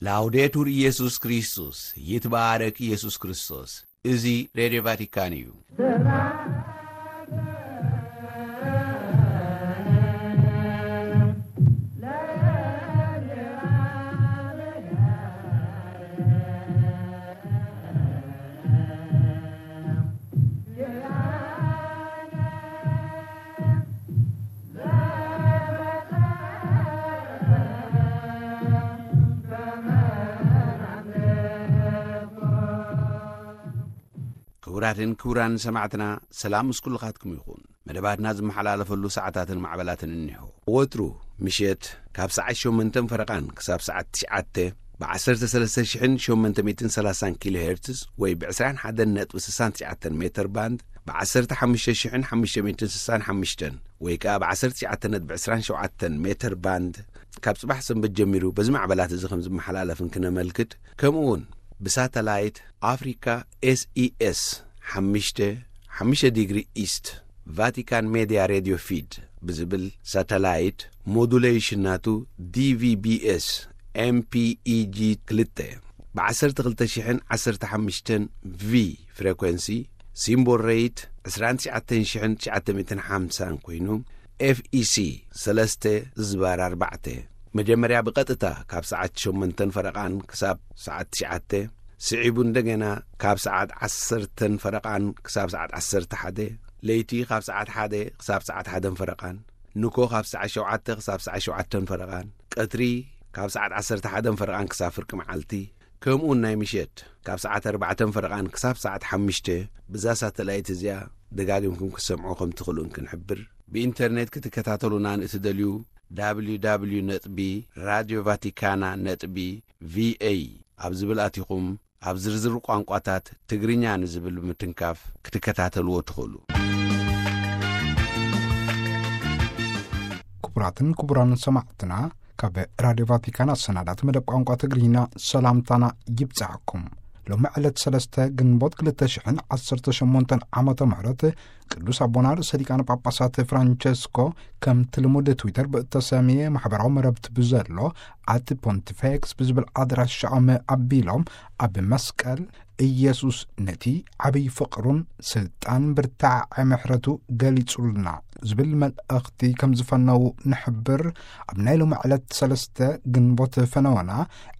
ላውዴቱር ኢየሱስ ክርስቶስ፣ ይትባረክ ኢየሱስ ክርስቶስ። እዚ ሬድዮ ቫቲካን እዩ። ክቡራትን ክቡራን ሰማዕትና፣ ሰላም ምስ ኩልኻትኩም ይኹን። መደባትና ዝመሓላለፈሉ ሰዓታትን ማዕበላትን እኒሆ። ወትሩ ምሸት ካብ ሰዓት ሸሞንተን ፈረቓን ክሳብ ሰዓት ትሽዓተ ብ ዓሰርተ ሰለስተ ሽሕን ሸሞንተ ሚእትን ሰላሳን ኪሎ ሄርትዝ ወይ ብ ዕስራን ሓደን ነጥቢ ስሳን ትሽዓተን ሜተር ባንድ፣ ብ ዓሰርተ ሓሙሽተ ሽሕን ሓሙሽተ ሚእትን ስሳን ሓሙሽተን ወይ ከኣ ብ ዓሰርተ ትሽዓተ ነጥቢ ዕስራን ሸውዓተን ሜተር ባንድ፣ ካብ ጽባሕ ሰንበት ጀሚሩ በዚ ማዕበላት እዚ ከም ዝመሓላለፍን ክነመልክት፣ ከምኡ እውን ብሳተላይት ኣፍሪካ ኤስኢኤስ ሓሙሽተ ሓሙሽተ ዲግሪ ኢስት ቫቲካን ሜድያ ሬድዮ ፊድ ብዝብል ሳተላይት ሞዱሌሽን ናቱ ዲቪቢኤስ ኤምፒኢጂ ክልተ ብ ዓሰርተ ክልተ ሽሕን ዓሰርተ ሓሙሽተን ቪ ፍሬኮንሲ፣ ሲምቦል ሬይት ዕስራን ትሽዓተን ሽሕን ትሽዓተ ሚእትን ሓምሳን ኮይኑ፣ ኤፍኢሲ ሰለስተ ዝባር ኣርባዕተ መጀመርያ ብቐጥታ ካብ ሰዓት ሸሞንተን ፈረቓን ክሳብ ሰዓት ትሽዓተ፣ ስዒቡ እንደገና ካብ ሰዓት ዓሰርተን ፈረቓን ክሳብ ሰዓት ዓሰርተ ሓደ፣ ለይቲ ካብ ሰዓት ሓደ ክሳብ ሰዓት ሓደን ፈረቓን፣ ንኮ ካብ ሰዓት ሸውዓተ ክሳብ ሰዓት ሸውዓተን ፈረቓን፣ ቀትሪ ካብ ሰዓት ዓሰርተ ሓደን ፈረቓን ክሳብ ፍርቂ መዓልቲ፣ ከምኡውን ናይ ምሸት ካብ ሰዓት ኣርባዕተን ፈረቓን ክሳብ ሰዓት ሓሙሽተ ብዛ ሳተላይት እዚኣ ደጋጊምኩም ክትሰምዑ ከም ትኽእሉን ክንሕብር። ብኢንተርኔት ክትከታተሉና ንእትደልዩ፣ www ነጥቢ ራድዮ ቫቲካና ነጥቢ ቪኤ ኣብ ዝብል ኣቲኹም፣ ኣብ ዝርዝር ቋንቋታት ትግርኛ ንዝብል ብምትንካፍ ክትከታተልዎ ትኽእሉ። ክቡራትን ክቡራን ሰማዕትና፣ ካብ ራድዮ ቫቲካን ኣሰናዳት መደብ ቋንቋ ትግርኛ ሰላምታና ይብጻሕኩም። ሎሚ ዕለት ሰለስተ ግንቦት ክልተ ሽሕን ዓሰርተ ሸሞንተን ዓመተ ምህረት ቅዱስ ኣቦና ርእሰ ሊቃነ ጳጳሳት ፍራንቸስኮ ከምቲ ልሙድ ትዊተር ብእተሰምየ ማሕበራዊ መረብቲ ብዘሎ ኣት ፖንቲፌክስ ብዝብል ኣድራሻኦም ኣቢሎም፣ ኣብ መስቀል ኢየሱስ ነቲ ዓብይ ፍቕሩን ስልጣን ብርታዐ ምሕረቱ ገሊጹልና ዝብል መልእኽቲ ከም ዝፈነዉ ንሕብር። ኣብ ናይ ሎሚ ዕለት ሰለስተ ግንቦት ፈነወና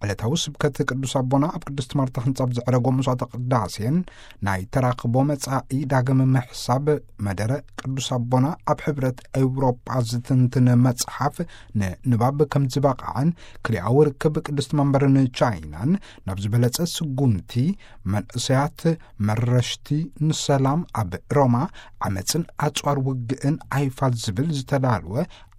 ዕለታዊ ስብከት ቅዱስ ኣቦና ኣብ ቅድስት ማርታ ህንጻ ኣብ ዘዕረጎ መስዋዕተ ቅዳሴን ናይ ተራኽቦ መጻኢ ዳግም ምሕሳብ መደረ ቅዱስ ኣቦና ኣብ ሕብረት ኤውሮጳ ዝትንትን መጽሓፍ ንንባብ ከም ዝበቕዐን ክልኣዊ ርክብ ቅድስት መንበርን ቻይናን ናብ ዝበለጸ ስጉምቲ መንእሰያት መረሽቲ ንሰላም ኣብ ሮማ ዓመጽን ኣጽዋር ውግእን ኣይፋል ዝብል ዝተዳልወ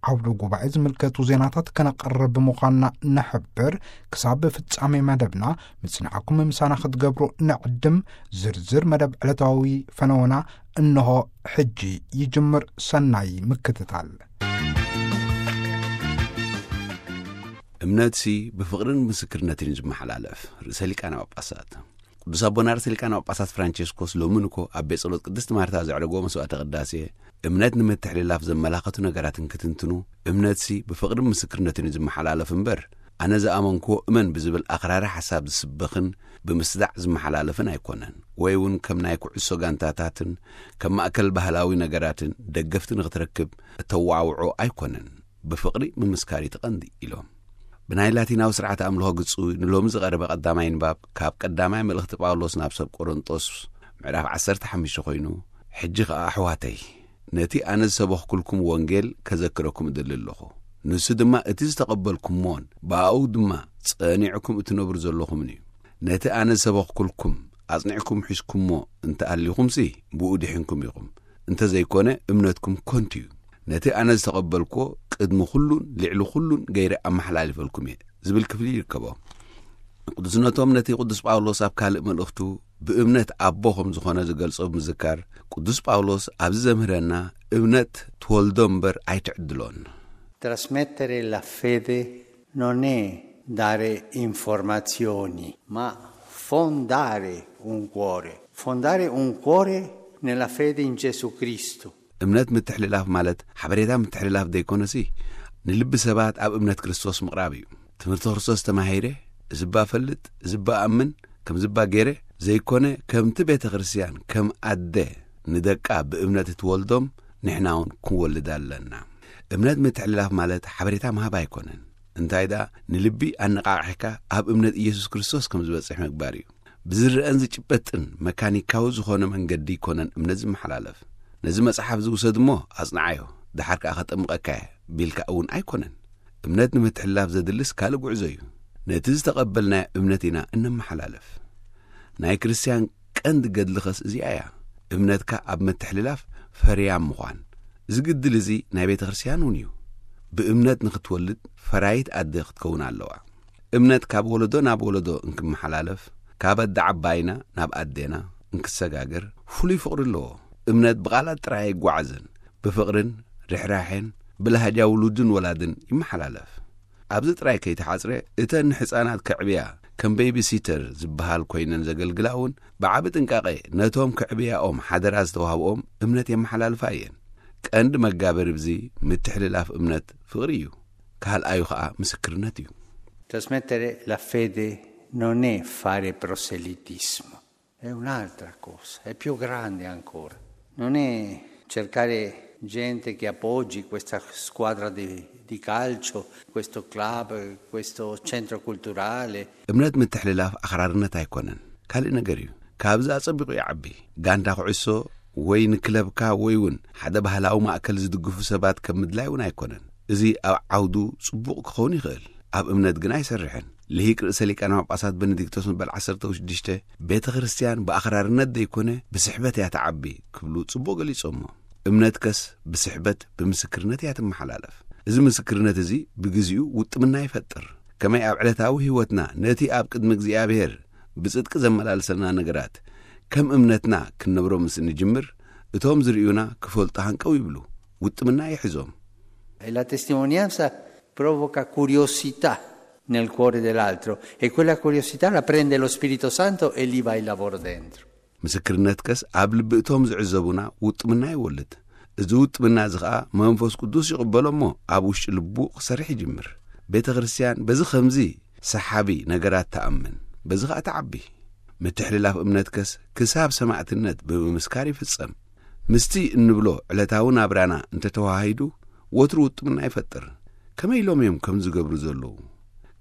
ዓውደ ጉባኤ ዝምልከቱ ዜናታት ከነቕርብ ብምዃንና ንሕብር። ክሳብ ፍጻሜ መደብና ምጽናዕኩም ምሳና ክትገብሩ ንዕድም። ዝርዝር መደብ ዕለታዊ ፈነወና እንሆ ሕጂ ይጅምር። ሰናይ ምክትታል። እምነትሲ ብፍቕርን ምስክርነትን እዩ ዝመሓላለፍ። ርእሰ ሊቃነ ጳጳሳት ቅዱስ ኣቦና ርእሰ ሊቃነ ጳጳሳት ፍራንቸስኮስ ሎሚ ንኮ ኣብ ቤት ጸሎት ቅድስት ማርታ ዘዕረግዎ መስዋዕተ ቅዳሴ፣ እምነት ንምትሕልላፍ ዘመላኸቱ ነገራትን ክትንትኑ፣ እምነትሲ ብፍቕርን ምስክርነትን እዩ ዝመሓላለፍ እምበር፣ ኣነ ዝኣመንክዎ እመን ብዝብል ኣኽራሪ ሓሳብ ዝስበኽን ብምስዳዕ ዝመሓላለፍን ኣይኮነን፣ ወይ እውን ከም ናይ ኩዕሶ ጋንታታትን ከም ማእከል ባህላዊ ነገራትን ደገፍቲ ንኽትረክብ እተዋውዖ ኣይኮነን። ብፍቕሪ ምምስካር እዩ እቲ ቀንዲ ኢሎም። ብናይ ላቲናዊ ስርዓተ ኣምልኾ ግጹ ንሎሚ ዝቐረበ ቀዳማይ ንባብ ካብ ቀዳማይ መልእኽቲ ጳውሎስ ናብ ሰብ ቆሮንጦስ ምዕራፍ ዓሰርተ ሓሙሽተ ኮይኑ፣ ሕጂ ኸኣ ኣሕዋተይ፣ ነቲ ኣነ ዝሰበኽኩልኩም ወንጌል ከዘክረኩም እደሊ ኣለኹ። ንሱ ድማ እቲ ዝተቐበልኩሞን ብኣኡ ድማ ጸኒዕኩም እትነብሩ ዘለኹምን እዩ። ነቲ ኣነ ዝሰበኽኩልኩም ኣጽኒዕኩም ሒዝኩሞ እንተ ኣሊኹምሲ፣ ብኡ ድሒንኩም ኢኹም። እንተ ዘይኮነ፣ እምነትኩም ከንቱ እዩ። ነቲ ኣነ ዝተቐበልኩዎ ቅድሚ ኩሉን ልዕሊ ኩሉን ገይረ ኣመሓላሊፈልኩም እየ ዝብል ክፍሊ ይርከቦ። ቅዱስነቶም ነቲ ቅዱስ ጳውሎስ ኣብ ካልእ መልእኽቱ ብእምነት ኣቦ ከም ዝኾነ ዝገልጾ ብምዝካር፣ ቅዱስ ጳውሎስ ኣብዚ ዘምህረና፣ እምነት ትወልዶ እምበር ኣይትዕድሎን። Trasmettere la fede non è dare informazioni, ma fondare un cuore. Fondare un cuore nella fede in Gesù Cristo. እምነት ምትሕልላፍ ማለት ሓበሬታ ምትሕልላፍ ዘይኮነሲ፣ ንልቢ ሰባት ኣብ እምነት ክርስቶስ ምቕራብ እዩ። ትምህርቲ ክርስቶስ ተማሂረ፣ እዚ እባ ፈልጥ፣ እዚ እባ ኣምን፣ ከምዚ እባ ገይረ ዘይኮነ፣ ከምቲ ቤተ ክርስቲያን ከም ኣደ ንደቃ ብእምነት እትወልዶም ንሕና እውን ክንወልድ ኣለና። እምነት ምትሕልላፍ ማለት ሓበሬታ ምሃብ ኣይኮነን። እንታይ ደኣ ንልቢ ኣነቓቒሕካ ኣብ እምነት ኢየሱስ ክርስቶስ ከም ዝበጽሕ ምግባር እዩ። ብዝረአን ዝጭበጥን መካኒካዊ ዝኾነ መንገዲ ኣይኮነን እምነት ዝመሓላለፍ። ነዚ መጽሓፍ ዝውሰድ እሞ ኣጽንዓዮ፣ ደሓር ከኣ ከጠምቐካ እየ ቢልካ እውን ኣይኮነን። እምነት ንምትሕልላፍ ዘድልስ ካልእ ጉዕዞ እዩ። ነቲ ዝተቐበልናዮ እምነት ኢና እነመሓላልፍ። ናይ ክርስትያን ቀንዲ ገድሊ ኸስ እዚኣ እያ። እምነትካ ኣብ ምትሕልላፍ ፈርያም ምዃን። እዚ ግድል እዚ ናይ ቤተ ክርስትያን እውን እዩ። ብእምነት ንኽትወልድ ፈራይት ኣደ ክትከውን ኣለዋ። እምነት ካብ ወለዶ ናብ ወለዶ እንክመሓላለፍ፣ ካብ ኣደ ዓባይና ናብ ኣዴና እንክሰጋገር ፍሉይ ፍቕሪ ኣለዎ። እምነት ብቓላት ጥራይ ኣይጓዓዝን፣ ብፍቕርን ርሕራሕን ብላህጃ ውሉድን ወላድን ይመሓላለፍ። ኣብዚ ጥራይ ከይተሓጽረ፣ እተን ንሕጻናት ከዕብያ ከም ቤቢ ሲተር ዝበሃል ኮይነን ዘገልግላ እውን ብዓቢ ጥንቃቐ ነቶም ከዕብያኦም ሓደራ ዝተዋህብኦም እምነት የመሓላልፋ እየን። ቀንዲ መጋበሪ ብዚ ምትሕልላፍ እምነት ፍቕሪ እዩ። ካልኣዩ ኸኣ ምስክርነት እዩ። Trasmettere la fede non è fare proselitismo, è un'altra cosa, è più grande ancora. Non è cercare gente che appoggi questa squadra di, di calcio, questo club, questo centro culturale. እምነት ምትሕልላፍ ኣኽራርነት ኣይኮነን፣ ካልእ ነገር እዩ። ካብዚ ኣጸቢቑ ይዓቢ። ጋንታ ኩዕሶ ወይ ንክለብካ ወይ እውን ሓደ ባህላዊ ማእከል ዝድግፉ ሰባት ከም ምድላይ እውን ኣይኮነን። እዚ ኣብ ዓውዱ ጽቡቕ ክኸውን ይኽእል፣ ኣብ እምነት ግን ኣይሰርሕን። ልሂቅ ርእሰ ሊቃነ ጳጳሳት ቤኔዲክቶስ መበል ዓሰርተ ሽዱሽተ፣ ቤተ ክርስቲያን ብኣኽራርነት ዘይኮነ ብስሕበት እያ ትዓቢ ክብሉ ጽቡቕ ገሊጾሞ። እምነትከስ ብስሕበት ብምስክርነት እያ ትመሓላለፍ። እዚ ምስክርነት እዚ ብግዚኡ ውጥምና ይፈጥር። ከመይ ኣብ ዕለታዊ ህይወትና ነቲ ኣብ ቅድሚ እግዚኣብሔር ብጽድቂ ዘመላልሰና ነገራት ከም እምነትና ክንነብሮ ምስ እንጅምር፣ እቶም ዝርእዩና ክፈልጡ ሃንቀው ይብሉ፣ ውጥምና ይሕዞም። E la testimonianza provoca curiosità nel cuore dell'altro e quella curiosità la prende lo Spirito Santo e lì va il lavoro dentro. ምስክርነትከስ ኣብ ልቢ እቶም ዝዕዘቡና ውጥምና ይወልድ። እዚ ውጥምና እዚ ኸኣ መንፈስ ቅዱስ ይቕበሎ እሞ ኣብ ውሽጢ ልቡ ክሰርሕ ይጅምር። ቤተ ክርስቲያን በዚ ኸምዚ ሰሓቢ ነገራት ትኣምን፣ በዚ ኸኣ ትዓቢ። ምትሕልላፍ እምነትከስ ክሳብ ሰማዕትነት ብምምስካር ይፍጸም። ምስቲ እንብሎ ዕለታዊ ናብራና እንተተዋሃሂዱ፣ ወትሩ ውጥምና ይፈጥር። ከመይ ኢሎም እዮም ከም ዝገብሩ ዘለዉ?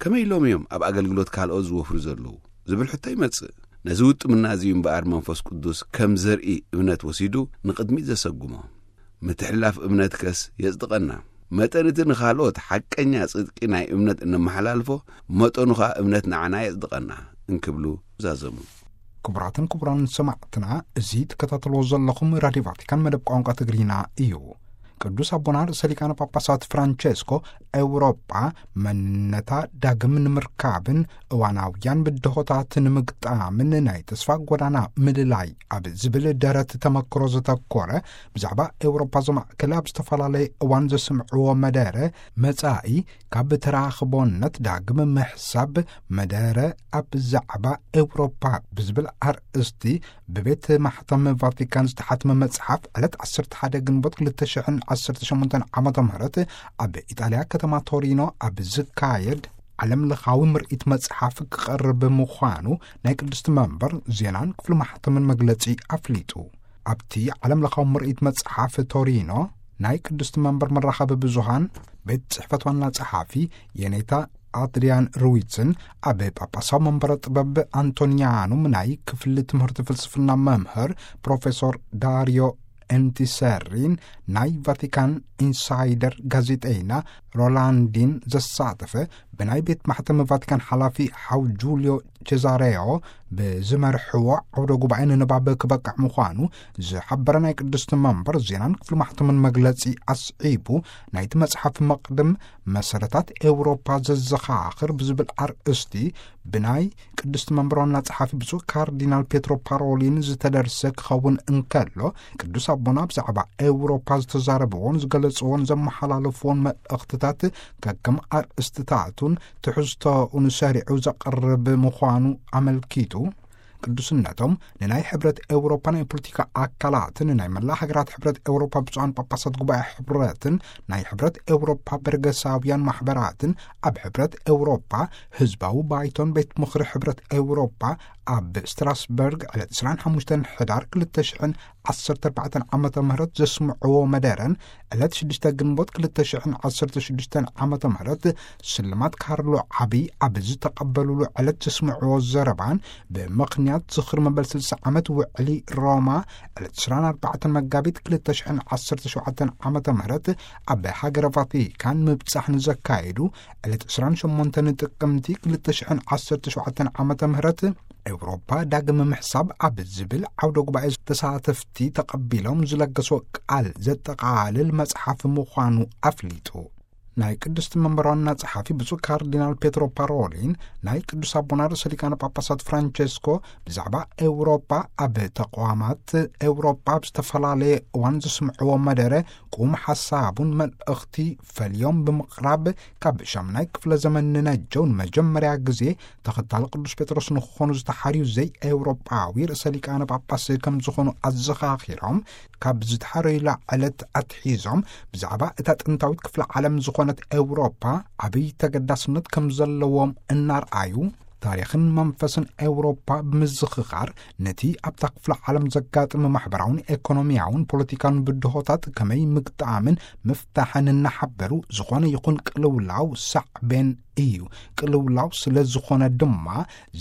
ከመይ ኢሎም እዮም ኣብ ኣገልግሎት ካልኦት ዝወፍሩ ዘለዉ? ዝብል ሕቶ ይመጽእ። ነዚ ውጥምና እዚ እዩ እምበኣር መንፈስ ቅዱስ ከም ዘርኢ እምነት ወሲዱ ንቕድሚት ዘሰጉሞ። ምትሕልላፍ እምነትከስ የጽድቐና። መጠን እቲ ንኻልኦት ሓቀኛ ጽድቂ ናይ እምነት እነመሓላልፎ፣ መጠኑ ኸኣ እምነት ንዓና የጽድቐና እንክብሉ ዛዘሙ። ክቡራትን ክቡራን ሰማዕትና፣ እዚ ትከታተልዎ ዘለኹም ራድዮ ቫቲካን መደብ ቋንቋ ትግርኛ እዩ። ቅዱስ ኣቦና ርእሰ ሊቃነ ጳጳሳት ፍራንቸስኮ፣ ኤውሮጳ መንነታ ዳግም ንምርካብን እዋናውያን ብድሆታት ንምግጣምን ናይ ተስፋ ጎዳና ምልላይ ኣብ ዝብል ደረት ተመክሮ ዘተኮረ፣ ብዛዕባ ኤውሮጳ ዘማእከለ ኣብ ዝተፈላለየ እዋን ዘስምዕዎ መደረ፣ መጻኢ ካብ ተራኽቦነት ዳግም ምሕሳብ መደረ ኣብ ዛዕባ ኤውሮፓ ብዝብል ኣርእስቲ ብቤት ማሕተም ቫቲካን ዝተሓትመ መጽሓፍ ዕለት ዓሰርተ ሓደ ግንቦት ክልተ ሽሕን ዓሰርተ ሸሞንተን ዓመተ ምህረት ኣብ ኢጣልያ ከተማ ቶሪኖ ኣብ ዝካየድ ዓለም ለኻዊ ምርኢት መጽሓፍ ክቐርብ ምዃኑ ናይ ቅድስቲ መንበር ዜናን ክፍሊ ማሕተምን መግለጺ ኣፍሊጡ። ኣብቲ ዓለም ለኻዊ ምርኢት መጽሓፍ ቶሪኖ ናይ ቅድስቲ መንበር መራኸቢ ብዙሃን ቤት ጽሕፈት ዋና ጸሓፊ የኔታ ኣድሪያን ሩዊትን ኣብ ጳጳሳዊ መንበረ ጥበብ ኣንቶኒያኑም ናይ ክፍሊ ትምህርቲ ፍልስፍና መምህር ፕሮፌሶር ዳሪዮ ኤንቲሰሪን ናይ ቫቲካን ኢንሳይደር ጋዜጠይና ሮላንዲን ዘሳተፈ ብናይ ቤት ማሕተም ቫቲካን ሓላፊ ሓው ጁልዮ ቼዛሬዮ ብዝመርሕዎ ዓውደ ጉባኤ ንንባብ ክበቅዕ ምዃኑ ዝሓበረ ናይ ቅድስቲ መንበር ዜናን ክፍሊ ማሕተምን መግለጺ ኣስዒቡ፣ ናይቲ መጽሓፍ መቕድም መሰረታት ኤውሮፓ ዘዘኻኽር ብዝብል ኣርእስቲ ብናይ ቅድስቲ መንበር ዋና ጸሓፊ ብፁዕ ካርዲናል ፔትሮ ፓሮሊን ዝተደርሰ ክኸውን እንከሎ፣ ቅዱስ ኣቦና ብዛዕባ ኤውሮፓ ዝተዛረብዎን ዝገለጽዎን ዘመሓላለፍዎን መልእኽትታት ከከም ኣርእስትታቱን ትሕዝቶኡን ሰሪዑ ዘቕርብ ምዃኑ ኣመልኪቱ፣ ቅዱስነቶም ንናይ ሕብረት ኤውሮፓ ናይ ፖለቲካ ኣካላትን ናይ መላእ ሃገራት ሕብረት ኤውሮፓ ብፁዓን ጳጳሳት ጉባኤ ሕብረትን ናይ ሕብረት ኤውሮፓ በርገሳውያን ማሕበራትን ኣብ ሕብረት ኤውሮፓ ህዝባዊ ባይቶን ቤት ምኽሪ ሕብረት ኤውሮፓ ኣብ ስትራስበርግ ዕለት ዕስራን ሓሙሽተን ሕዳር ክልተ ሽሕን ዓሰርተ ኣርባዕተን ዓመተ ምህረት ዘስምዕዎ መደረን ዕለት ሽዱሽተ ግንቦት ክልተ ሽሕን ዓሰርተ ሽዱሽተን ዓመተ ምህረት ስልማት ካርሎ ዓቢ ኣብ ዝተቐበሉሉ ዕለት ዘስምዕዎ ዘረባን ብምኽንያት ዝኽሪ መበል ስልሳ ዓመት ውዕሊ ሮማ ዕለት ዕስራን ኣርባዕተን መጋቢት ክልተ ሽሕን ዓሰርተ ሸውዓተን ዓመተ ምህረት ኣብ ሃገረ ቫቲካን ምብጻሕ ንዘካየዱ ዕለት ዕስራን ሸሞንተን ጥቅምቲ ክልተ ሽሕን ዓሰርተ ሸውዓተን ዓመተ ምህረት ኤውሮፓ ዳግም ምሕሳብ ኣብ ዝብል ዓውደ ጉባኤ ተሳተፍቲ ተቐቢሎም ዝለገሶ ቃል ዘጠቓልል መጽሓፍ ምዃኑ ኣፍሊጡ። ናይ ቅድስቲ መንበር ዋና ጸሓፊ ብፁዕ ካርዲናል ፔትሮ ፓሮሊን ናይ ቅዱስ ኣቦና ርእሰ ሊቃነ ጳጳሳት ፍራንቸስኮ ብዛዕባ ኤውሮፓ ኣብ ተቋማት ኤውሮፓ ኣብ ዝተፈላለየ እዋን ዘስምዕዎ መደረ ቁም ሓሳቡን መልእኽቲ ፈልዮም ብምቕራብ ካብ ሻምናይ ክፍለ ዘመን ንነጀው ንመጀመርያ ግዜ ተኸታሊ ቅዱስ ጴጥሮስ ንክኾኑ ዝተሓርዩ ዘይ ኤውሮጳዊ ርእሰ ሊቃነ ጳጳስ ከም ዝኾኑ ኣዘኻኺሮም፣ ካብ ዝተሓረዩላ ዕለት ኣትሒዞም ብዛዕባ እታ ጥንታዊት ክፍለ ዓለም ዝኾነት ኤውሮጳ ዓብይ ተገዳስነት ከም ዘለዎም እናርኣዩ፣ ታሪኽን መንፈስን ኤውሮጳ ብምዝኽኻር፣ ነቲ ኣብታ ክፍለ ዓለም ዘጋጥም ማሕበራውን ኤኮኖሚያውን ፖለቲካውን ብድሆታት ከመይ ምግጣምን ምፍታሕን እናሓበሩ፣ ዝኾነ ይኹን ቅልውላው ሳዕቤን እዩ። ቅልውላው ስለ ዝኾነ ድማ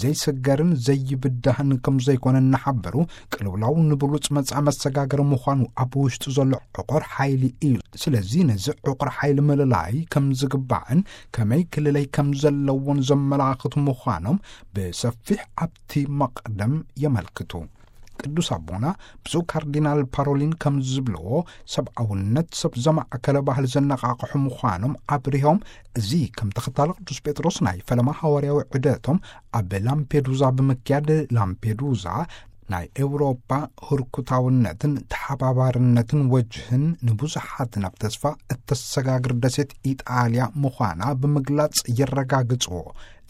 ዘይስገርን ዘይብዳህን ከም ዘይኮነ እናሓበሩ፣ ቅልውላው ንብሉጽ መጻኢ መሰጋገሪ ምዃኑ ኣብ ውሽጡ ዘሎ ዕቑር ሓይሊ እዩ። ስለዚ ነዚ ዕቑር ሓይሊ ምልላይ ከም ዝግባዕን ከመይ ክልለይ ከም ዘለዎን ዘመላኽቱ ምዃኖም ብሰፊሕ ኣብቲ መቕደም የመልክቱ። ቅዱስ ኣቦና ብፁዕ ካርዲናል ፓሮሊን ከም ዝብልዎ፣ ሰብኣውነት ሰብ ዘማእከለ ባህሊ ዘነቓቕሑ ምዃኖም ኣብሪሆም፣ እዚ ከም ተኸታሊ ቅዱስ ጴጥሮስ ናይ ፈለማ ሃዋርያዊ ዑደቶም ኣብ ላምፔዱዛ ብምክያድ፣ ላምፔዱዛ ናይ ኤውሮጳ ህርኩታውነትን ተሓባባርነትን ወጅህን ንብዙሓት ናብ ተስፋ እተሰጋግር ደሴት ኢጣልያ ምዃና ብምግላጽ የረጋግጽዎ።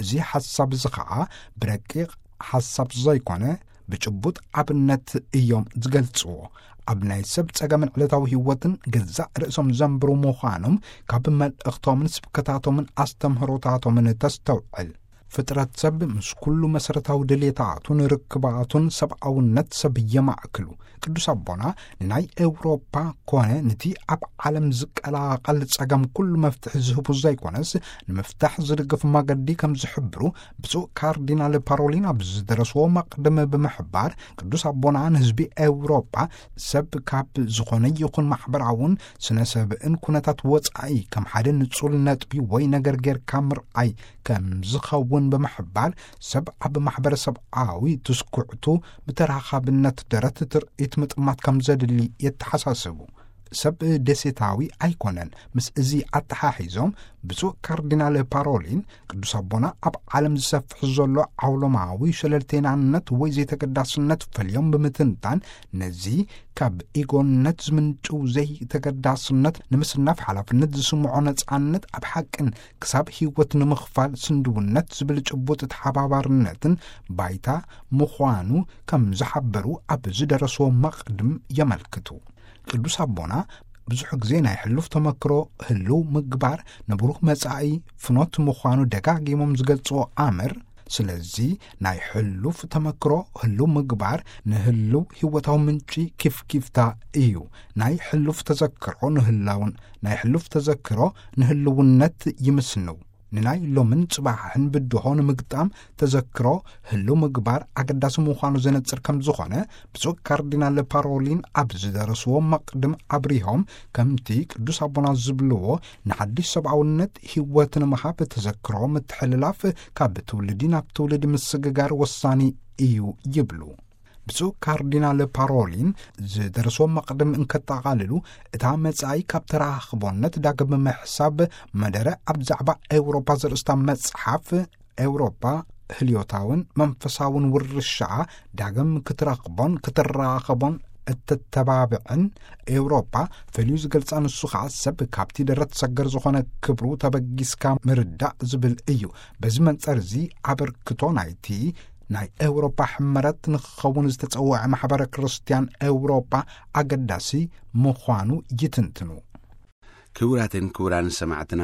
እዚ ሓሳብ እዚ ኸኣ ብረቂቕ ሓሳብ ዘይኮነ፣ ብጭቡጥ ኣብነት እዮም ዝገልጽዎ። ኣብ ናይ ሰብ ጸገምን ዕለታዊ ህይወትን ገዛእ ርእሶም ዘንብሩ ምዃኖም ካብ መልእኽቶምን ስብከታቶምን ኣስተምህሮታቶምን ተስተውዕል። ፍጥረት ሰብ ምስ ኩሉ መሰረታዊ ድሌታቱን ርክባቱን ሰብኣውነት ሰብ የማእክሉ። ቅዱስ ኣቦና ንናይ ኤውሮፓ ኮነ ነቲ ኣብ ዓለም ዝቀላቐል ጸገም ኩሉ መፍትሒ ዝህቡ ዘይኮነስ፣ ንምፍታሕ ዝድግፍ መገዲ ከም ዝሕብሩ ብፁዕ ካርዲናል ፓሮሊን ኣብ ዝደረስዎ መቕድም ብምሕባር፣ ቅዱስ ኣቦና ንህዝቢ ኤውሮጳ ሰብ ካብ ዝኾነ ይኹን ማሕበራውን ስነ ሰብእን ኩነታት ወጻኢ ከም ሓደ ንጹል ነጥቢ ወይ ነገር ጌርካ ምርኣይ ከም ዝኸውን ብምሕባር፣ ሰብ ኣብ ማሕበረሰብኣዊ ትስኩዕቱ ብተራኻብነት ደረት ትርኢት ምጥማት ከም ዘድሊ የተሓሳስቡ። ሰብ ደሴታዊ ኣይኮነን። ምስ እዚ ኣተሓሒዞም ብፁዕ ካርዲናል ፓሮሊን፣ ቅዱስ ኣቦና ኣብ ዓለም ዝሰፍሕ ዘሎ ዓውሎማዊ ሸለልቴናነት ወይ ዘይተገዳስነት ፈልዮም ብምትንታን፣ ነዚ ካብ ኢጎነት ዝምንጭው ዘይተገዳስነት ንምስናፍ ሓላፍነት ዝስምዖ ነጻነት ኣብ ሓቅን ክሳብ ህይወት ንምኽፋል ስንድውነት ዝብል ጭቡጥ ተሓባባርነትን ባይታ ምዃኑ ከም ዝሓበሩ ኣብ ዝደረስዎ መቕድም የመልክቱ። ቅዱስ ኣቦና ብዙሕ ግዜ ናይ ሕሉፍ ተመክሮ ህልው ምግባር ንብሩህ መጻኢ ፍኖት ምዃኑ ደጋጊሞም ዝገልጽዎ ኣምር፣ ስለዚ ናይ ሕሉፍ ተመክሮ ህልው ምግባር ንህልው ህይወታዊ ምንጪ ኪፍኪፍታ እዩ። ናይ ሕሉፍ ተዘክሮ ንህላውን ናይ ሕሉፍ ተዘክሮ ንህልውነት ይምስንው። ንናይ ሎምን ጽባሕን ብድሆ ንምግጣም ተዘክሮ ህልው ምግባር ኣገዳሲ ምዃኑ ዘነጽር ከም ዝኾነ ብፁዕ ካርዲናል ፓሮሊን ኣብ ዝደረስዎ መቕድም ኣብሪሆም፣ ከምቲ ቅዱስ ኣቦና ዝብልዎ፣ ንሓድሽ ሰብኣውነት ህይወት ንምሃብ ተዘክሮ ምትሕልላፍ ካብ ትውልዲ ናብ ትውልዲ ምስግጋር ወሳኒ እዩ ይብሉ። ብፁዕ ካርዲናል ፓሮሊን ዝደረስዎ መቕድም እንከጠቓልሉ፣ እታ መጻኢ ካብ ተራኽቦነት ዳግም ምሕሳብ መደረ ኣብ ዛዕባ ኤውሮፓ ዘርእስታ መጽሓፍ፣ ኤውሮፓ ህልዮታውን መንፈሳውን ውርሻ ዳግም ክትረኽቦን ክትራኸቦን እትተባብዕን፣ ኤውሮፓ ፈልዩ ዝገልጻ ንሱ ኸዓ ሰብ ካብቲ ደረት ሰገር ዝኾነ ክብሩ ተበጊስካ ምርዳእ ዝብል እዩ። በዚ መንጸር እዚ ኣበርክቶ ናይቲ ናይ ኤውሮጳ ሕመረት ንክኸውን ዝተጸውዐ ማሕበረ ክርስትያን ኤውሮጳ ኣገዳሲ ምዃኑ ይትንትኑ። ክቡራትን ክቡራን ሰማዕትና፣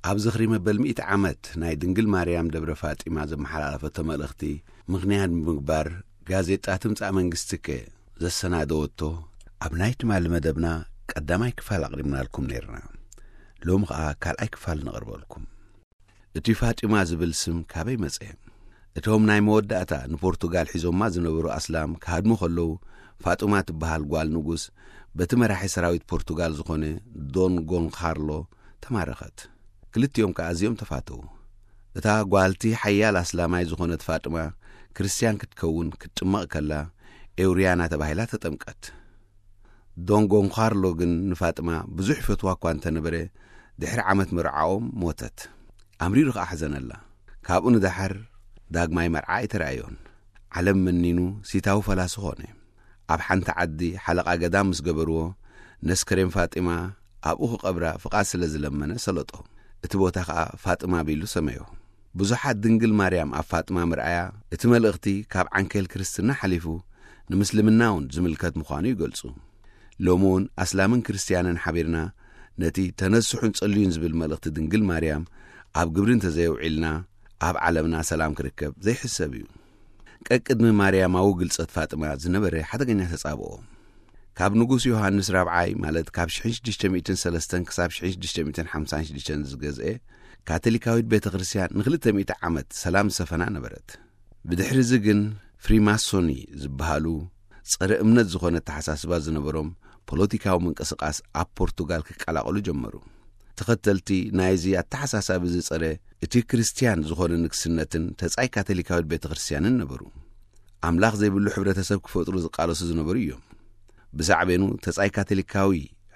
ኣብ ዝኽሪ መበል ሚእቲ ዓመት ናይ ድንግል ማርያም ደብረ ፋጢማ ዘመሓላለፈቶ መልእኽቲ ምኽንያት ብምግባር፣ ጋዜጣ ትምጻእ መንግስትከ ዘሰናደወቶ ኣብ ናይ ትማሊ መደብና ቀዳማይ ክፋል ኣቕሪብናልኩም ነይርና። ሎሚ ኸኣ ካልኣይ ክፋል ነቕርበልኩም። እቲ ፋጢማ ዝብል ስም ካበይ መጸ? እቶም ናይ መወዳእታ ንፖርቱጋል ሒዞማ ዝነበሩ ኣስላም ክሃድሙ ከለዉ፣ ፋጡማ ትበሃል ጓል ንጉስ በቲ መራሒ ሰራዊት ፖርቱጋል ዝኾነ ዶን ጎንካርሎ ተማረኸት። ክልቲኦም ከኣ ኣዝዮም ተፋተዉ። እታ ጓልቲ ሓያል ኣስላማይ ዝኾነት ፋጥማ ክርስትያን ክትከውን ክትጥመቕ ከላ፣ ኤውርያና ተባሂላ ተጠምቀት። ዶን ጎንካርሎ ግን ንፋጥማ ብዙሕ ይፈትዋ እኳ እንተነበረ፣ ድሕሪ ዓመት መርዓኦም ሞተት። ኣምሪሩ ከኣ ሓዘነላ። ካብኡ ንደሓር ዳግማይ መርዓ ኣይተራእዮን። ዓለም መኒኑ ሲታዊ ፈላሲ ኾነ። ኣብ ሓንቲ ዓዲ ሓለቓ ገዳም ምስ ገበርዎ፣ ነስከሬን ፋጢማ ኣብኡ ክቐብራ ፍቓድ ስለ ዝለመነ ሰለጦ። እቲ ቦታ ኸኣ ፋጥማ ቢሉ ሰመዮ። ብዙሓት ድንግል ማርያም ኣብ ፋጥማ ምርኣያ፣ እቲ መልእኽቲ ካብ ዓንኬል ክርስትና ሓሊፉ ንምስልምና እውን ዝምልከት ምዃኑ ይገልጹ። ሎሚ እውን ኣስላምን ክርስትያንን ሓቢርና ነቲ ተነስሑን ጸልዩን ዝብል መልእኽቲ ድንግል ማርያም ኣብ ግብሪ እንተዘየውዒልና፣ ኣብ ዓለምና ሰላም ክርከብ ዘይሕሰብ እዩ። ቀቅድሚ ማርያማዊ ግልጸት ፋጥማ ዝነበረ ሓደገኛ ተጻብኦ። ካብ ንጉስ ዮሃንስ ራብዓይ፣ ማለት ካብ ሽሕን ሽዱሽተ ሚእትን ሰለስተን ክሳብ ሽሕን ሽዱሽተ ሚእትን ሓምሳን ሽዱሽተን ዝገዝኤ፣ ካቶሊካዊት ቤተ ክርስትያን ንኽልተ ሚእቲ ዓመት ሰላም ዝሰፈና ነበረት። ብድሕሪ እዚ ግን ፍሪማሶኒ ዝበሃሉ ጸረ እምነት ዝኾነ ኣተሓሳስባ ዝነበሮም ፖለቲካዊ ምንቅስቓስ ኣብ ፖርቱጋል ክቀላቐሉ ጀመሩ። ተኸተልቲ ናይዚ ኣተሓሳሳቢ ዝጸረ እቲ ክርስትያን ዝኾነ ንግስነትን ተጻይ ካቶሊካዊት ቤተ ክርስትያንን ነበሩ። ኣምላኽ ዘይብሉ ሕብረተሰብ ክፈጥሩ ዝቃለሱ ዝነበሩ እዮም። ብሳዕቤኑ ተጻይ ካቶሊካዊ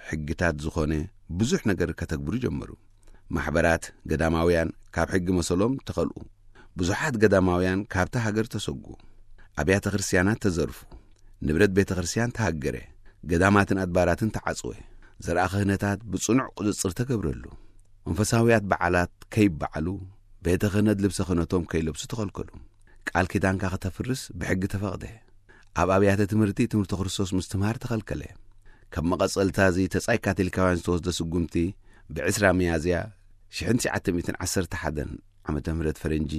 ሕግታት ዝኾነ ብዙሕ ነገር ከተግብሩ ጀመሩ። ማሕበራት ገዳማውያን ካብ ሕጊ መሰሎም ተኸልኡ። ብዙሓት ገዳማውያን ካብታ ሃገር ተሰጉ። ኣብያተ ክርስትያናት ተዘርፉ። ንብረት ቤተ ክርስትያን ተሃገረ። ገዳማትን ኣድባራትን ተዓጽወ። ዘርኣ ክህነታት ብጽኑዕ ቁጽጽር ተገብረሉ። መንፈሳውያት በዓላት ከይበዓሉ፣ ቤተ ክህነት ልብሰ ክህነቶም ከይለብሱ ተኸልከሉ። ቃል ኪዳንካ ከተፍርስ ብሕጊ ተፈቕደ። ኣብ ኣብያተ ትምህርቲ ትምህርቲ ክርስቶስ ምስትምሃር ተኸልከለ። ካብ መቐጸልታ እዚ ተጻይ ካቶሊካውያን ዝተወስደ ስጉምቲ፣ ብዕስራ ሚያዝያ ሽሕን ትሽዓተ ሚእትን ዓሰርተ ሓደን ዓመተ ምህረት ፈረንጂ፣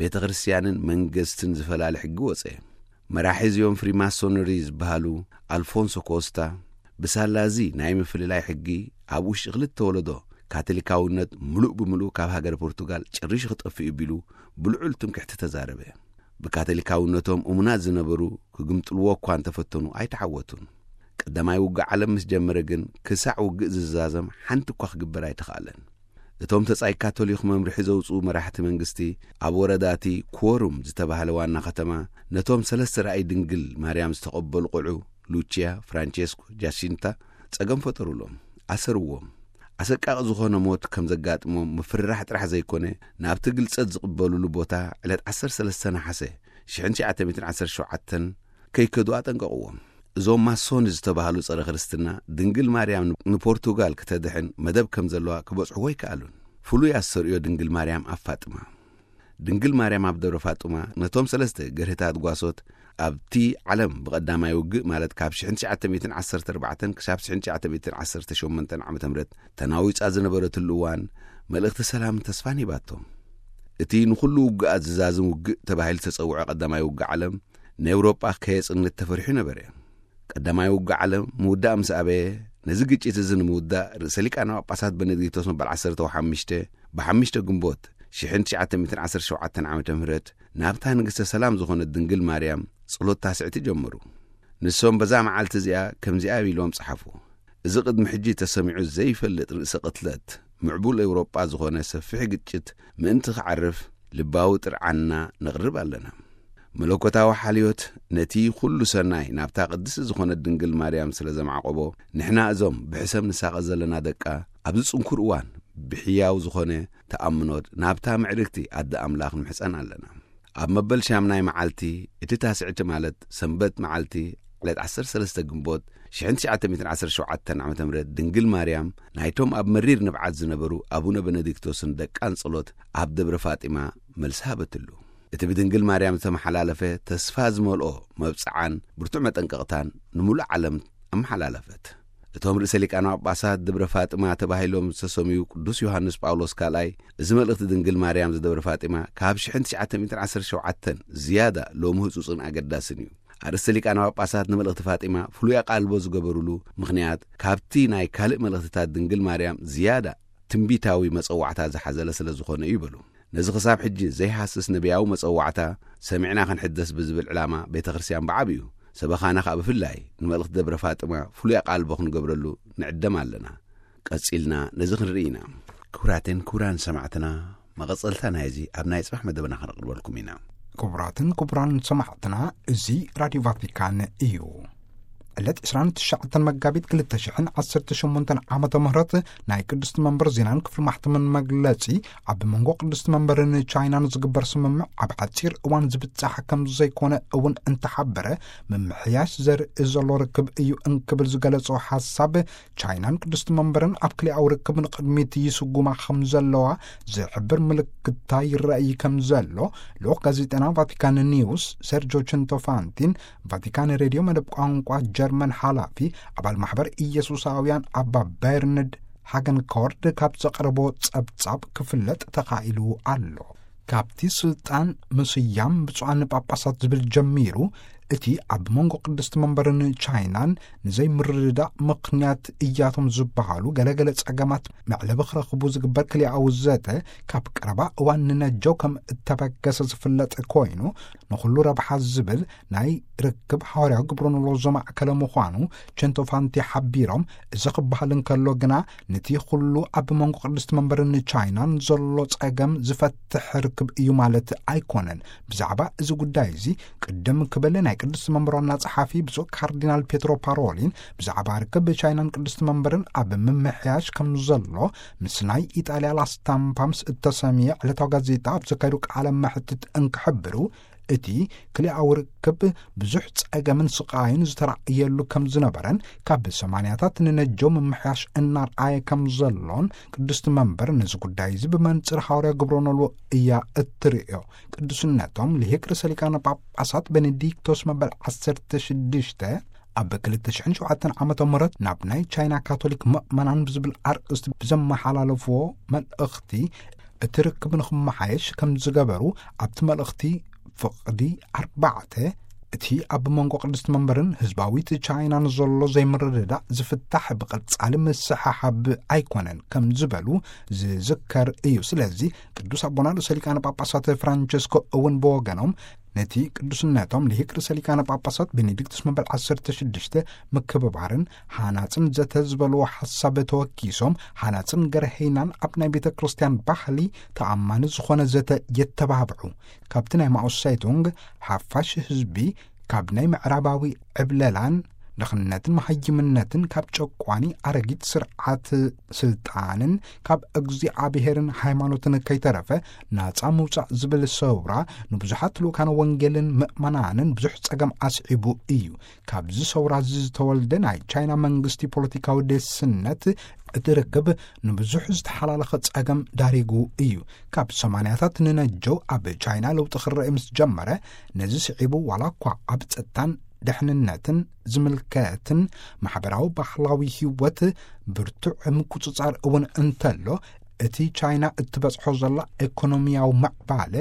ቤተ ክርስትያንን መንግስትን ዝፈላለ ሕጊ ወጸ። መራሒ እዚኦም ፍሪማሶነሪ ዝበሃሉ ኣልፎንሶ ኮስታ፣ ብሳላ እዚ ናይ ምፍልላይ ሕጊ ኣብ ውሽጢ ክልተ ወለዶ ካቶሊካውነት ምሉእ ብምሉእ ካብ ሃገረ ፖርቱጋል ጨሪሹ ክጠፍእ እዩ ቢሉ ብልዑል ትምክሕቲ ተዛረበ። ብካቶሊካውነቶም እሙናት ዝነበሩ ክግምጥልዎ እኳ እንተፈተኑ ኣይተዓወቱን። ቀዳማይ ውግእ ዓለም ምስ ጀመረ ግን ክሳዕ ውግእ ዝዛዘም ሓንቲ እኳ ክግበር ኣይተኻእለን። እቶም ተጻይ ካቶሊክ መምርሒ ዘውጽኡ መራሕቲ መንግስቲ ኣብ ወረዳቲ ኩወሩም ዝተባህለ ዋና ከተማ ነቶም ሰለስተ ራእይ ድንግል ማርያም ዝተቐበሉ ቆልዑ ሉቺያ፣ ፍራንቼስኮ፣ ጃሲንታ ጸገም ፈጠሩሎም፣ ኣሰርዎም። ኣሰቃቂ ዝኾነ ሞት ከም ዘጋጥሞም ምፍርራሕ ጥራሕ ዘይኮነ፣ ናብቲ ግልጸት ዝቕበሉሉ ቦታ ዕለት ዓሰርተ ሰለስተ ነሓሰ ሽሕን ትሽዓተ ሚእትን ዓሰርተ ሸውዓተን ከይከዱ ኣጠንቀቕዎም። እዞም ማሶኒ ዝተባህሉ ጸረ ክርስትና፣ ድንግል ማርያም ንፖርቱጋል ክተድሕን መደብ ከም ዘለዋ ክበጽሕዎ ኣይከኣሉን። ፍሉይ ኣስተርእዮ ድንግል ማርያም ኣብ ፋጥማ። ድንግል ማርያም ኣብ ደብረ ፋጡማ ነቶም ሰለስተ ገርህታት ጓሶት ኣብቲ ዓለም ብቐዳማይ ውግእ፣ ማለት ካብ ሽሕን ትሽዓተ ሚእትን ዓሰርተ ኣርባዕተን ክሳብ ሽሕን ትሽዓተ ሚእትን ዓሰርተ ሸሞንተን ዓመተ ምህረት ተናዊጻ ዝነበረትሉ እዋን፣ መልእኽቲ ሰላምን ተስፋን ሂባቶም። እቲ ንኹሉ ውግኣት ዝዛዝም ውግእ ተባሂሉ ዝተጸውዐ ቀዳማይ ውግእ ዓለም፣ ንኤውሮጳ ከየጽንት ተፈሪሑ ነበረ። ቀዳማይ ውግእ ዓለም ምውዳእ ምስ ኣበየ፣ ነዚ ግጭት እዚ ንምውዳእ ርእሰ ሊቃነ ጳጳሳት በነዲክቶስ መበል ዓሰርተ ሓሙሽተ ብሓሙሽተ ግንቦት ሽሕን ትሽዓተ ሚእትን ዓሰርተ ሸውዓተን ዓመተ ምህረት ናብታ ንግስተ ሰላም ዝኾነት ድንግል ማርያም ጸሎት ታስዕቲ ጀመሩ። ንሶም በዛ መዓልቲ እዚኣ ከምዚኣ ኢሎም ጸሓፉ። እዚ ቅድሚ ሕጂ ተሰሚዑ ዘይፈልጥ ርእሰ ቅትለት ምዕቡል ኤውሮጳ ዝኾነ ሰፊሕ ግጭት ምእንቲ ክዓርፍ ልባዊ ጥርዓንና ነቕርብ ኣለና። መለኮታዊ ሓልዮት ነቲ ኩሉ ሰናይ ናብታ ቅድስቲ ዝኾነት ድንግል ማርያም ስለ ዘማዕቆቦ፣ ንሕና እዞም ብሕሰም ንሳቐ ዘለና ደቃ ኣብዚ ጽንኩር እዋን ብሕያው ዝኾነ ተኣምኖት ናብታ ምዕርግቲ ኣደ ኣምላኽ ንምሕጸን ኣለና። ኣብ መበል ሻምናይ መዓልቲ እቲ ታስዕቲ፣ ማለት ሰንበት መዓልቲ ዕለት ዓሰርተ ሰለስተ ግንቦት ሽሕን ትሽዓተ ሚእትን ዓሰርተ ሸውዓተን ዓመተ ምህረት ድንግል ማርያም ናይቶም ኣብ መሪር ንብዓት ዝነበሩ ኣቡነ በነዲክቶስን ደቃን ጸሎት ኣብ ደብረ ፋጢማ መልሲ ሃበትሉ። እቲ ብድንግል ማርያም ዝተመሓላለፈ ተስፋ ዝመልኦ መብጽዓን ብርቱዕ መጠንቀቕታን ንምሉእ ዓለም ኣመሓላለፈት። እቶም ርእሰ ሊቃነ ጳጳሳት ደብረ ፋጥማ ተባሂሎም ዝተሰምዩ ቅዱስ ዮሃንስ ጳውሎስ ካልኣይ፣ እዚ መልእኽቲ ድንግል ማርያም ዝደብረ ፋጢማ ካብ ሽሕን ትሽዓተ ሚእትን ዓሰርተ ሸውዓተን ዝያዳ ሎሚ ህጹጽን ኣገዳስን እዩ። ኣርእስተ ሊቃነ ጳጳሳት ንመልእኽቲ ፋጢማ ፍሉይ ኣቓልቦ ዝገበሩሉ ምኽንያት፣ ካብቲ ናይ ካልእ መልእኽትታት ድንግል ማርያም ዝያዳ ትንቢታዊ መጸዋዕታ ዝሓዘለ ስለ ዝኾነ እዩ በሉ። ነዚ ክሳብ ሕጂ ዘይሃስስ ነቢያዊ መጸዋዕታ ሰሚዕና ክንሕደስ ብዝብል ዕላማ ቤተ ክርስቲያን ብዓቢኡ፣ ሰበኻና ከኣ ብፍላይ ንመልእኽቲ ደብረ ፋጥማ ፍሉይ ኣቓልቦ ክንገብረሉ ንዕደም ኣለና። ቀጺልና ነዚ ክንርኢ ኢና። ክቡራትን ክቡራን ሰማዕትና፣ መቐጸልታ ናይዚ ኣብ ናይ ጽባሕ መደብና ከነቕርበልኩም ኢና። ክቡራትን ክቡራን ሰማዕትና፣ እዚ ራድዮ ቫቲካን እዩ። ዕለት ዕስራን ትሽዓተን መጋቢት ክልተ ሽሕን ዓሰርተ ሸሞንተን ዓመተ ምህረት ናይ ቅድስቲ መንበር ዜናን ክፍሊ ማሕተምን መግለጺ፣ ኣብ መንጎ ቅድስቲ መንበርን ቻይናን ዝግበር ስምምዕ ኣብ ሓጺር እዋን ዝብጻሕ ከም ዘይኮነ እውን እንተሓበረ፣ ምምሕያሽ ዘርኢ ዘሎ ርክብ እዩ እንክብል ዝገለጾ ሓሳብ፣ ቻይናን ቅድስቲ መንበርን ኣብ ክልኣዊ ርክብ ንቕድሚት ይስጉማ ከም ዘለዋ ዝሕብር ምልክታ ይረኣይ ከም ዘሎ፣ ልኡኽ ጋዜጠና ቫቲካን ኒውስ ሴርጆ ቸንቶፋንቲን ቫቲካን ሬድዮ መደብ ቋንቋ ጀርመን ሓላፊ ኣባል ማሕበር ኢየሱሳውያን ኣባ በርንድ ሃገንኮርድ ካብ ዘቕረቦ ጸብጻብ ክፍለጥ ተኻኢሉ ኣሎ። ካብቲ ስልጣን ምስያም ብፁዓን ጳጳሳት ዝብል ጀሚሩ፣ እቲ ኣብ መንጎ ቅድስቲ መንበርን ቻይናን ንዘይምርድዳእ ምኽንያት እያቶም ዝበሃሉ ገለገለ ጸገማት መዕለቢ ክረኽቡ ዝግበር ክልኣዊ ዘተ ካብ ቀረባ እዋን ንነጀው ከም እተበገሰ ዝፍለጥ ኮይኑ፣ ንኹሉ ረብሓ ዝብል ናይ ርክብ ሓዋርያዊ ግብረ ኖሎ ዘማእከለ ምዃኑ ቸንቶፋንቲ ሓቢሮም፣ እዚ ክበሃል እንከሎ ግና፣ ነቲ ኩሉ ኣብ መንጎ ቅድስቲ መንበርን ቻይናን ዘሎ ጸገም ዝፈትሕ ርክብ እዩ ማለት ኣይኮነን። ብዛዕባ እዚ ጉዳይ እዚ ቅድም ክብል ናይ ቅድስቲ መንበር ዋና ጸሓፊ ብፁዕ ካርዲናል ፔትሮ ፓሮሊን ብዛዕባ ርክብ ቻይናን ቅድስቲ መንበርን ኣብ ምምሕያሽ ከም ዘሎ ምስ ናይ ኢጣልያ ላስታምፓ ምስ እተሰምየ ዕለታዊ ጋዜጣ ኣብ ዘካየዱ ቃለ መሕትት እንክሕብሩ፣ እቲ ክልኣዊ ርክብ ብዙሕ ጸገምን ስቓይን ዝተራእየሉ ከም ዝነበረን ካብ ሰማንያታት ንነጀው ምምሕያሽ እናርኣየ ከም ዘሎን ቅድስቲ መንበር ነዚ ጉዳይ እዚ ብመንጽር ሓዋርያ ግብረ ኖሎ እያ እትርእዮ። ቅዱስነቶም ልሂቅ ርእሰ ሊቃነ ጳጳሳት ቤኔዲክቶስ መበል ዓሰርተ ሽዱሽተ ኣብ ክልተ ሽሕን ሸውዓተን ዓመተ ምህረት ናብ ናይ ቻይና ካቶሊክ ምእመናን ብዝብል ኣርእስቲ ብዘመሓላለፍዎ መልእኽቲ፣ እቲ ርክብ ንኽመሓየሽ ከም ዝገበሩ ኣብቲ መልእኽቲ ፍቕዲ ኣርባዕተ፣ እቲ ኣብ መንጎ ቅድስቲ መንበርን ህዝባዊት ቻይናን ዘሎ ዘይምርድዳእ ዝፍታሕ ብቐጻሊ ምስሕሓብ ኣይኮነን ከም ዝበሉ ዝዝከር እዩ። ስለዚ ቅዱስ ኣቦና ርእሰ ሊቃነ ጳጳሳት ፍራንቸስኮ እውን ብወገኖም፣ ነቲ ቅዱስነቶም ልሂቅ ርእሰ ሊቃነ ጳጳሳት ቤኔዲክቱስ መበል ዓሰርተ ሽዱሽተ ምክብባርን ሃናጽን ዘተ ዝበልዎ ሓሳብ ተወኪሶም፣ ሃናጽን ገርሀይናን ኣብ ናይ ቤተ ክርስቲያን ባህሊ ተኣማኒ ዝኾነ ዘተ የተባብዑ። ካብቲ ናይ ማኦ ሴቱንግ ሓፋሽ ህዝቢ ካብ ናይ ምዕራባዊ ዕብለላን ድኽነትን መሃይምነትን ካብ ጨቋኒ ኣረጊት ስርዓት ስልጣንን ካብ እግዚኣብሔርን ሃይማኖትን ከይተረፈ ናጻ ምውጻእ ዝብል ሰውራ ንብዙሓት ልኡካን ወንጌልን ምእመናንን ብዙሕ ጸገም ኣስዒቡ እዩ። ካብዚ ሰውራ እዚ ዝተወልደ ናይ ቻይና መንግስቲ ፖለቲካዊ ደስነት እቲ ርክብ ንብዙሕ ዝተሓላለኸ ጸገም ዳሪጉ እዩ። ካብ ሰማንያታት ንነጀው ኣብ ቻይና ለውጢ ክረአ ምስ ጀመረ፣ ነዚ ስዒቡ ዋላ እኳ ኣብ ጸጥታን ድሕንነትን ዝምልከትን ማሕበራዊ ባህላዊ ህይወት ብርቱዕ ምቁጽጻር እውን እንተሎ፣ እቲ ቻይና እትበጽሖ ዘላ ኢኮኖሚያዊ ምዕባለ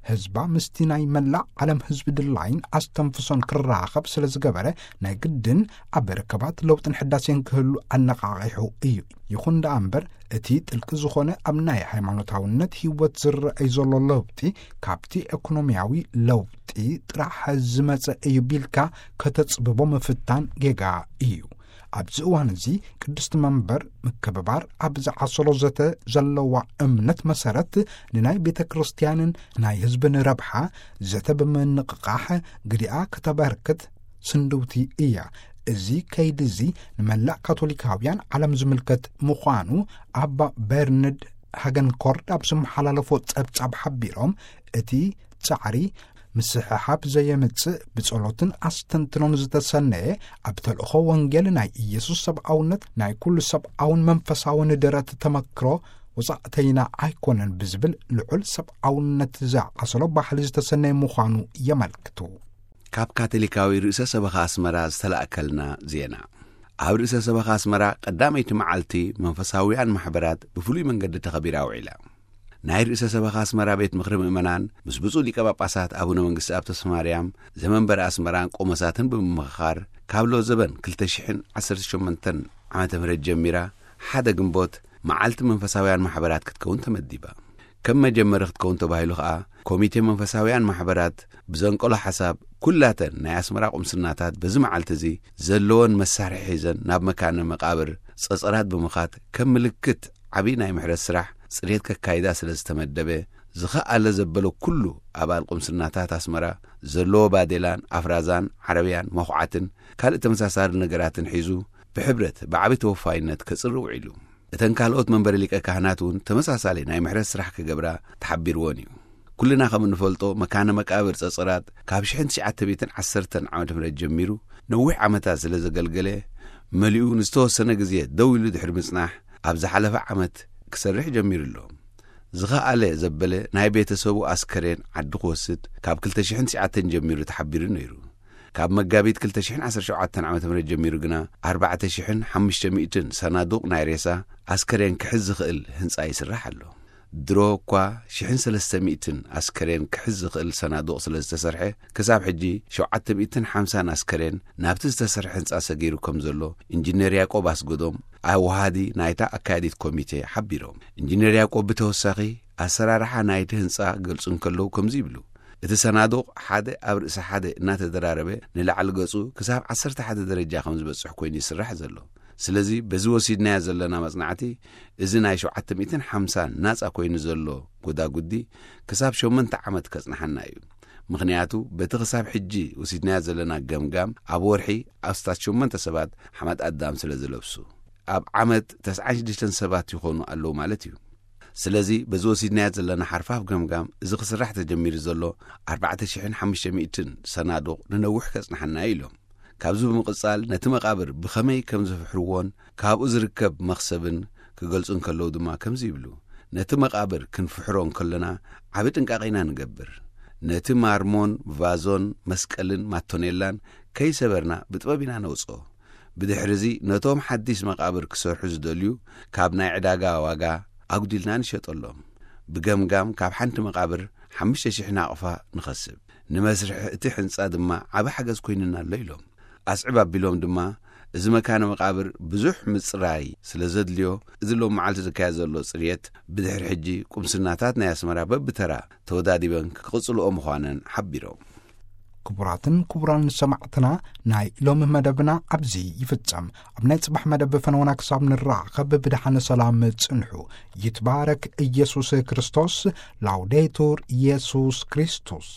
ህዝባ ምስቲ ናይ መላእ ዓለም ህዝቢ ድላይን ኣስተንፍሶን ክራኸብ ስለ ዝገበረ፣ ናይ ግድን ኣብ ርክባት ለውጥን ሕዳሴን ክህሉ ኣነቓቒሑ እዩ። ይኹን ደኣ እምበር፣ እቲ ጥልቂ ዝኾነ ኣብ ናይ ሃይማኖታውነት ህይወት ዝረኣይ ዘሎ ለውጢ ካብቲ ኢኮኖሚያዊ ለውጢ ጥራሕ ዝመጸ እዩ ቢልካ ከተጽብቦ ምፍታን ጌጋ እዩ። ኣብዚ እዋን እዚ ቅድስቲ መንበር ምክብባር ኣብ ዝዓሰሎ ዘተ ዘለዋ እምነት መሰረት ንናይ ቤተ ክርስቲያንን ናይ ህዝብን ረብሓ ዘተ ብምንቕቓሕ ግዲኣ ከተበርክት ስንድውቲ እያ። እዚ ከይዲ እዚ ንመላእ ካቶሊካውያን ዓለም ዝምልከት ምዃኑ ኣባ በርንድ ሃገንኮርድ ኣብ ዝመሓላለፎ ጸብጻብ ሓቢሮም፣ እቲ ጻዕሪ ምስሕሓብ ዘየምጽእ ብጸሎትን ኣስተንትኖን ዝተሰነየ ኣብ ተልእኾ ወንጌል ናይ ኢየሱስ ሰብኣውነት ናይ ኩሉ ሰብኣውን መንፈሳውን ደረት ተመክሮ ወጻእተይና ኣይኮነን ብዝብል ልዑል ሰብኣውነት ዝዓሰሎ ባህሊ ዝተሰነየ ምዃኑ የመልክቱ። ካብ ካቶሊካዊ ርእሰ ሰበኻ ኣስመራ ዝተላእከልና ዜና። ኣብ ርእሰ ሰበኻ ኣስመራ ቀዳመይቲ መዓልቲ መንፈሳውያን ማሕበራት ብፍሉይ መንገዲ ተኸቢራ ውዒላ። ናይ ርእሰ ሰበኻ ኣስመራ ቤት ምኽሪ ምእመናን ምስ ብፁዕ ሊቀ ጳጳሳት ኣቡነ መንግስቲ ኣብ ተስፋ ማርያም ዘመንበረ ኣስመራን ቆሞሳትን ብምምኽኻር፣ ካብ ሎዘበን ክልተ ሽሕን ዓሰርተ ሸሞንተን ዓመተ ምህረት ጀሚራ፣ ሓደ ግንቦት መዓልቲ መንፈሳውያን ማሕበራት ክትከውን ተመዲባ። ከም መጀመሪ ክትከውን ተባሂሉ ኸኣ፣ ኮሚቴ መንፈሳውያን ማሕበራት ብዘንቀሎ ሓሳብ፣ ኩላተን ናይ ኣስመራ ቁምስናታት በዚ መዓልቲ እዚ ዘለወን መሳርሒ ሒዘን ናብ መካነ መቃብር ጸጸራት ብምኻድ፣ ከም ምልክት ዓቢ ናይ ምሕረት ስራሕ ጽሬት ከካይዳ ስለ ዝተመደበ፣ ዝኸኣለ ዘበሎ ኩሉ ኣባል ቁምስናታት ኣስመራ ዘለዎ ባዴላን ኣፍራዛን ዓረብያን መኹዓትን ካልእ ተመሳሳሊ ነገራትን ሒዙ ብሕብረት ብዓቢ ተወፋይነት ከጽሪ ውዒሉ። እተን ካልኦት መንበሪ ሊቀ ካህናት እውን ተመሳሳሊ ናይ ምሕረት ስራሕ ክገብራ ተሓቢርወን እዩ። ኩልና ከም እንፈልጦ፣ መካነ መቃብር ጸጸራት ካብ ሽሕን ትሽዓተ ሚእትን ዓሰርተን ዓመተ ምህረት ጀሚሩ ነዊሕ ዓመታት ስለ ዘገልገለ፣ መሊኡ ንዝተወሰነ ግዜ ደው ኢሉ ድሕሪ ምጽናሕ፣ ኣብ ዝሓለፈ ዓመት ክሰርሕ ጀሚሩ ኣሎ። ዝኸኣለ ዘበለ ናይ ቤተሰቡ ኣስከሬን ዓዲ ክወስድ ካብ ክልተ ሽሕን ትሽዓተን ጀሚሩ ተሓቢሩ ነይሩ። ካብ መጋቢት ክልተ ሽሕን ዓሰርተ ሸውዓተን ዓመተ ምህረት ጀሚሩ ግና፣ ኣርባዕተ ሽሕን ሓሙሽተ ሚእትን ሰናዱቕ ናይ ሬሳ ኣስከሬን ክሕዝ ዝኽእል ህንጻ ይስራሕ ኣሎ። ድሮ እኳ ሽሕን ሰለስተ ሚእትን ኣስከሬን ክሕዝ ዝኽእል ሰናዱቕ ስለ ዝተሰርሐ፣ ክሳብ ሕጂ ሸውዓተ ሚእትን ሓምሳን ኣስከሬን ናብቲ ዝተሰርሐ ህንጻ ሰጊሩ ከም ዘሎ ኢንጂነር ያዕቆብ ኣስገዶም፣ ኣወሃዲ ናይታ ኣካያዲት ኮሚቴ፣ ሓቢሮም። ኢንጂነር ያዕቆብ ብተወሳኺ ኣሰራርሓ ናይቲ ህንጻ ክገልጹ እንከለዉ ከምዚ ይብሉ። እቲ ሰናዱቕ ሓደ ኣብ ርእሲ ሓደ እናተደራረበ ንላዕሊ ገጹ ክሳብ ዓሰርተ ሓደ ደረጃ ከም ዝበጽሕ ኮይኑ ይስራሕ ዘሎ። ስለዚ በዚ ወሲድናዮ ዘለና መጽናዕቲ፣ እዚ ናይ ሸውዓተ ሚእትን ሓምሳን ናጻ ኮይኑ ዘሎ ጎዳጉዲ ክሳብ ሸሞንተ ዓመት ከጽንሓና እዩ። ምኽንያቱ በቲ ክሳብ ሕጂ ወሲድናዮ ዘለና ገምጋም፣ ኣብ ወርሒ ኣስታት ሸሞንተ ሰባት ሓመድ ኣዳም ስለ ዝለብሱ፣ ኣብ ዓመት ተስዓን ሽዱሽተን ሰባት ይኾኑ ኣለዉ ማለት እዩ። ስለዚ በዚ ወሲድናዮ ዘለና ሓርፋፍ ገምጋም፣ እዚ ክስራሕ ተጀሚሩ ዘሎ ኣርባዕተ ሽሕን ሓሙሽተ ሚእትን ሰናዱቕ ንነዊሕ ከጽንሓና እዩ ኢሎም። ካብዚ ብምቕጻል ነቲ መቓብር ብኸመይ ከም ዝፍሕርዎን ካብኡ ዝርከብ መኽሰብን ክገልጹ እንከለዉ ድማ ከምዚ ይብሉ። ነቲ መቓብር ክንፍሕሮ እንከለና ዓቢ ጥንቃቐ ኢና ንገብር። ነቲ ማርሞን ቫዞን መስቀልን ማቶኔላን ከይሰበርና ብጥበብ ኢና ነውጽኦ። ብድሕርዚ ነቶም ሓዲስ መቓብር ክሰርሑ ዝደልዩ ካብ ናይ ዕዳጋ ዋጋ ኣጉዲልና ንሸጠሎም። ብገምጋም ካብ ሓንቲ መቓብር ሓሙሽተ ሽሕ ናቕፋ ንኸስብ። ንመስርሒ እቲ ሕንጻ ድማ ዓቢ ሓገዝ ኮይኑና ኣሎ ኢሎም። ኣስዕብ ኣቢሎም ድማ፣ እዚ መካነ መቓብር ብዙሕ ምጽራይ ስለ ዘድልዮ፣ እዚ ሎም መዓልቲ ዝካየድ ዘሎ ጽርየት ብድሕሪ ሕጂ ቁምስናታት ናይ ኣስመራ በብተራ ተወዳዲበን ክቕጽልኦ ምዃነን ሓቢሮም። ክቡራትን ክቡራን ሰማዕትና፣ ናይ ሎሚ መደብና ኣብዚ ይፍጸም። ኣብ ናይ ጽባሕ መደብ ፈነወና ክሳብ ንራኸብ ብድሓነ ሰላም ጽንሑ። ይትባረክ ኢየሱስ ክርስቶስ። ላውዴቱር ኢየሱስ ክርስቶስ።